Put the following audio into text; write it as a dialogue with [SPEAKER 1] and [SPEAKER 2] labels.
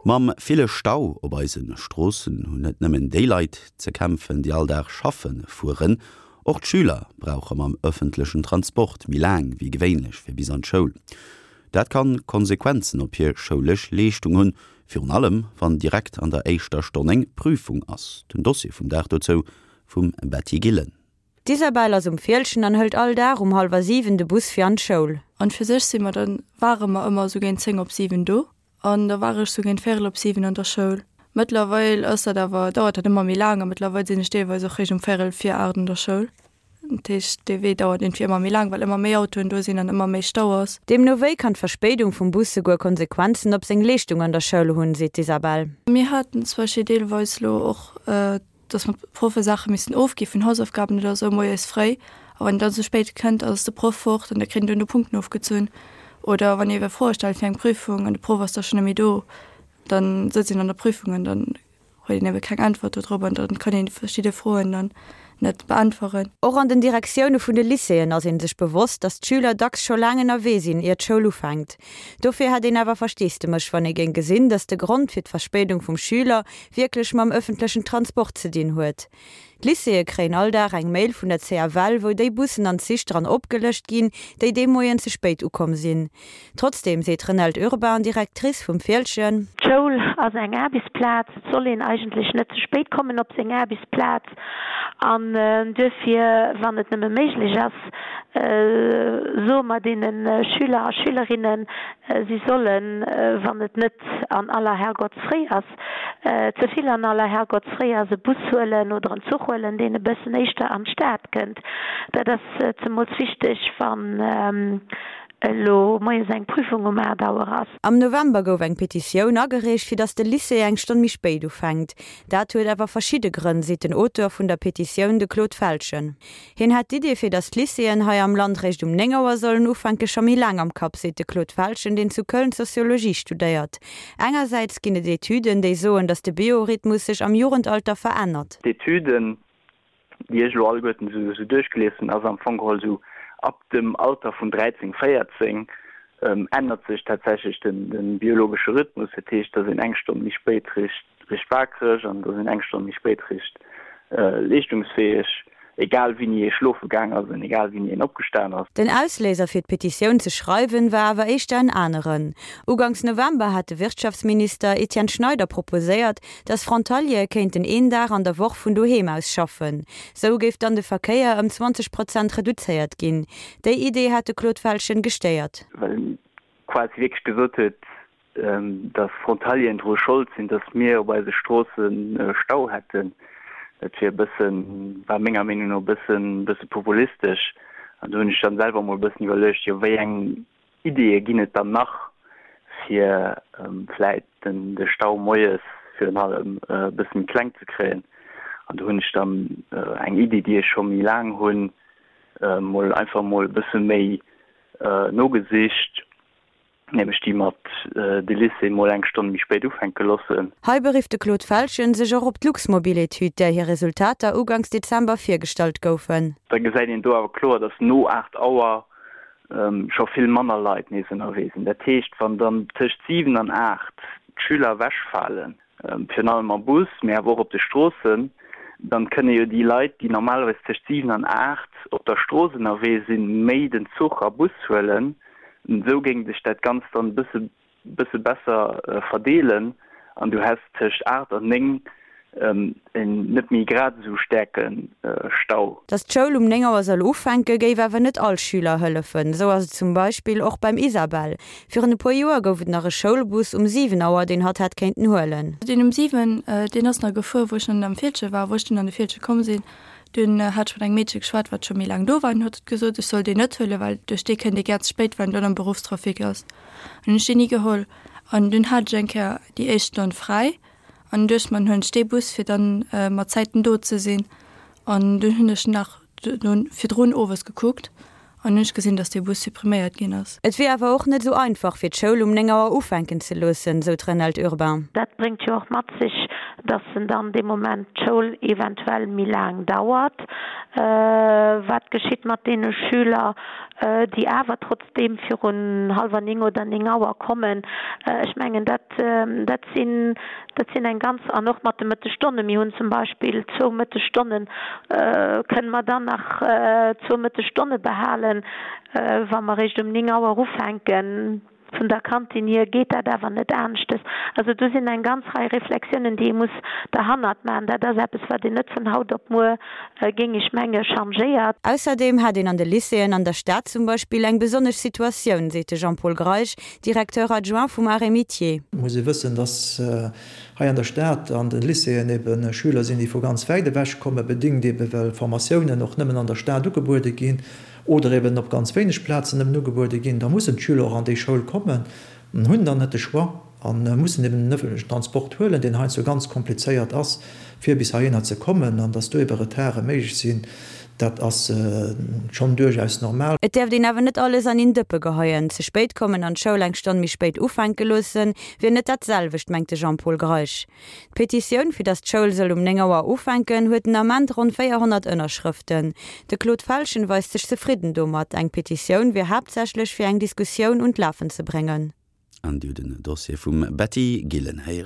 [SPEAKER 1] Mam ville Stau op eise Stroossen hunn net nëmmen déi Leit ze kämpfen, déi all Dag schaffe fueren. Och d'Schüler brauche mam ëffentlechen Transport méi laang wéi gewéinlech fir bis an d'Schoul. Dat kann Konsequenzen op hir schoulesch Leeschtung hunn, virun allem wann direkt an der éischter Stonn eng Prüfung ass. Den Dossier vum Dag dozou vum Betty Gillen.
[SPEAKER 2] D'Isabelle ass um Fieldgen an hëlt all Dag um hallwer 7 de Bus fir an d'Schoul.
[SPEAKER 3] An fir sech si mer dann, ware mer ëmmer esou géint 10 op 7 do an da war ech sou géint véierel op 7 an der Schoul. Mëttlerweil ass dat awer, dauert dat ëmmer méi laang a mëttlerweil sinn ech deelweis och réischt um véierel vir 8 an der Schoul. Dat heescht, dee Wee dauert iergendwéi ëmmer méi laang, well ëmmer méi Autoen do sinn an ëmmer méi Stau ass.
[SPEAKER 2] Deemno wéi kann d'Verspéidung vum Bus souguer Konsequenzen op seng Leeschtung an der Schoul hunn, seet d'Isabelle.
[SPEAKER 3] Mir haten zum Beispill deelweis elo och dass mer Proffe Saache missen ofgi vun Hausaufgaben oder esou moies fréi, a wann een dann ze spéit kënnt, ass de Proff fort an da kritt een duerno Punkten ofgezunn. Oder wann ee ewell Froe stellt fir eng Prüfung an de Proff ass da schonn net méi do, dann sëtzt een an der Prüfung an dann huet een ebe keng Äntwert do drop an dann kann een verschidde Froen dann net beäntweren.
[SPEAKER 2] Och an den Direktioune vun de Lycéeën ass ee sech bewosst, datt d'Schüler dacks scho laang ënnerwee sinn, ier d'Schoul ufänkt. Dofir hätt een awer Versteesdemech, wann ee géing gesinn, datt de Grond fir d'Verspéidung vum Schüler wierklech mam ëffentlechen Transport ze dinn huet. D'Lycéeë kréien all Dag eng Mail vun der CFL, wou déi Bussen an Zich dran opgelëscht ginn, déi dee Moien ze spéit ukomm sinn. Trotzdeem seet d'Renelde Urbain, Directrice vum Fieldgen.
[SPEAKER 4] D'Schoul ass eng Aarbechtsplaz. Et soll een eigentlech net ze spéit kommen op seng Aarbechtsplaz. An duerfir, wann et nëmme méiglech ass, soe mer deene Schüler a Schülerinnen, si sollen, wann et net an aller Herrgottsfréi ass, ze vill an aller Herrgottsfréi ass, e Bus huelen oder en Zuch huelen, deen e bëssen éischter an d'Stad kënnt. Dat ass zemools wichteg, wann elo moies eng Prüfung um 8 Auer ass.
[SPEAKER 2] Am November gouf eng Petitioun agereecht, fir datt de Lycée eng Stonn méi spéit ufänkt. Dat huet awer verschidde Grënn, seet den Auteur vun der Petitioun, de Claude Feltgen. Hien hätt d'Idee fir datt d'Lycéeën hei am Land réischt um 9 Auer sollen ufänke scho méi laang am Kapp, seet de Claude Feltgen, deen zu Köln Soziologie studéiert. Engersäits ginn et Etüden, déi soen, datt de Biorhythmus sech am Jugendalter verännert.
[SPEAKER 5] D'Etüden, déi ech elo alleguerten esou duerchgelies hunn, ass am Fong geholl esou ab dem Alter vun 13, 14 ännert sech tatsächlech de biologesche Rhythmus. Dat heescht, datt een eng Stonn méi spéit richt richt wakereg an datt een eng Stonn méi spéit richt leeschtungsfäeg, egal wéini ee schlofe gaang ass an egal wéini een opgestan ass.
[SPEAKER 2] Den Ausléiser fir d'Petitioun ze schreiwen war awer éischter en aneren. Uganks November hat de Wirtschaftsminister Etienne Schneider proposéiert, datt Frontaliere kéinten een Dag an der Woch vun doheem aus schaffen. Sou géif dann de Verkéier ëm 20 Prozent reduzéiert ginn. Déi Idee hat de Claude Feltgen gestéiert.
[SPEAKER 5] Well en quasi wierklech gesot huet, dass Frontalieren dru Schold sinn, dass mir op eise Stroosse Stau hätten. Dat wier e bëssen, war menger Meenung no e bëssen, bësse populistesch. An do hunn ech dann selwer emol e bëssen iwwerluecht, jo wéi eng Ideeë ginn et dann nach, fir vläit den de Stau moies virun allem e bësse méi kleng ze kréien. An do hunn ech dann eng Iddi, déi ech scho méi laang hunn, mol einfach mol e bësse méi nogesicht. Nämlech déi mat de Lycée mol eng Stonn méi spéit ufänke loossen.
[SPEAKER 2] Hei berifft de Claude Feltgen sech och op d'Luxmobil-Etüd, där hir Resultater uganks Dezember virgestallt goufen.
[SPEAKER 5] Da gesäit een do awer kloer, datt no 8 Auer scho vill manner Leit nees ënnerwee sinn. Dat heescht, wann dann tëscht 7 an 8 d'Schüler ewechfalen, virun allem am Bus, mee awer och op de Stroossen, dann kënne jo déi Leit, déi normalerweis tëscht 7 an 8 op der Strooss ënnerwee sinn, méi den Zuch a Bus huelen. Esou géing sech dat Ganzt dann e bësse bësse besser verdeelen an du häss tëscht 8 an 9 en net méi grad esou staarke Stau.
[SPEAKER 2] Datt d'Schoul um 9 Auer soll ufänken, géif awer net all Schüler hëllefen. Esou ass et zum Beispill och beim Isabelle. Virun e puer Joer gouf et nach e Schoulbus um 7 Auer, deen hatt hätt kéinten huelen.
[SPEAKER 3] Deen um 7, deen ass nach gefuer, wou ech nach net am Fieldgen war. Wou ech dunn an de Fieldgen komm sinn, dunn hat ech mat engem Meedche geschwat, wat scho méi laang do war, an huet gesot, ech soll deen net huelen, well duerch dee kënnt ee gär ze spéit, well en dann am Beruffstrafic ass. An hunn ech deen ni geholl. An dunn hat ech eng Kéier déi éischt Stonn fräi an duecht mer, dann huelen ech dee Bus, fir dann mat Zäiten do ze sinn. An dunn hunn ech nach virdrun owes gekuckt an hunn ech gesinn, dass dee Bus suppriméiert ginn ass.
[SPEAKER 2] Et wier awer och net esou einfach, fir d'Schoul um 9 Auer ufänken ze loossen, sou d'Renelde Urbain.
[SPEAKER 4] Dat bréngt jo och mat sech, dass en dann dee Moment d'Schoul eventuell méi laang dauert. Wat geschitt mat deene Schüler? déi awer trotzdeem virun hallwer 9 oder 9 Auer kommen. Ech mengen, dat, dat sinn, dat sinn eng ganz, an och mat de Mëttesstonnen, mir hunn zum Beispill zwou Mëttesstonnen, kënnen mer dann nach zwou Mëttesstonne behalen, wa mer eréischt um 9 Auer ufänken. Vun der Kantin hier geet dat awer net aneschtes. Also do sinn eng ganz Rei Reflexiounen, déi ee muss derhannert maachen. Dat ass eppes, wat een net vun haut op muer, géing ech menge, changéiert.
[SPEAKER 2] Ausserdeem hätt een an de Lycéeën an der Stad zum Beispill eng besonnesch Situatioun, seet de Jean-Paul Greisch, Directeur adjoint vum Arts et Métiers.
[SPEAKER 6] Et muss ee wëssen, datt hei an der Stad an de Lycéeën ebe Schüler sinn, déi vu ganz wäit ewech kommen, bedéngt ebe well Formatiounen och nëmmen an der Stad ugebuede ginn. oder eben op ganz wéineg Plazen nëmmen ugebuede ginn, da mussen d'Schüler och an déi Schoul kommen an hunn dann net de Choix a mussen eben den ëffentlechen Transport huelen, deen heiansdo ganz komplizéiert ass, fir bis heihinner ze kommen. An dass do ebe Retarde méiglech sinn, dat ass schonn duerchaus normal.
[SPEAKER 2] Et däerft een awer net alles an een Dëppe geheien. Ze spéit kommen an d'Schoul eng Stonn méi spéit ufänke loossen, wier net dat selwecht, mengt de Jean-Paul Greisch. D'Petitioun, fir datt d'Schoul soll um 9 Auer ufänken, huet den Ament ronn 400 Ënnerschrëften. De Claude Felschen weist sech zefridden domat. Eng Petitioun wier haaptsächlech fir eng Diskussioun un d'Lafen ze bréngen.
[SPEAKER 1] An Dir hutt en Dossier vum Betty Gillen héieren.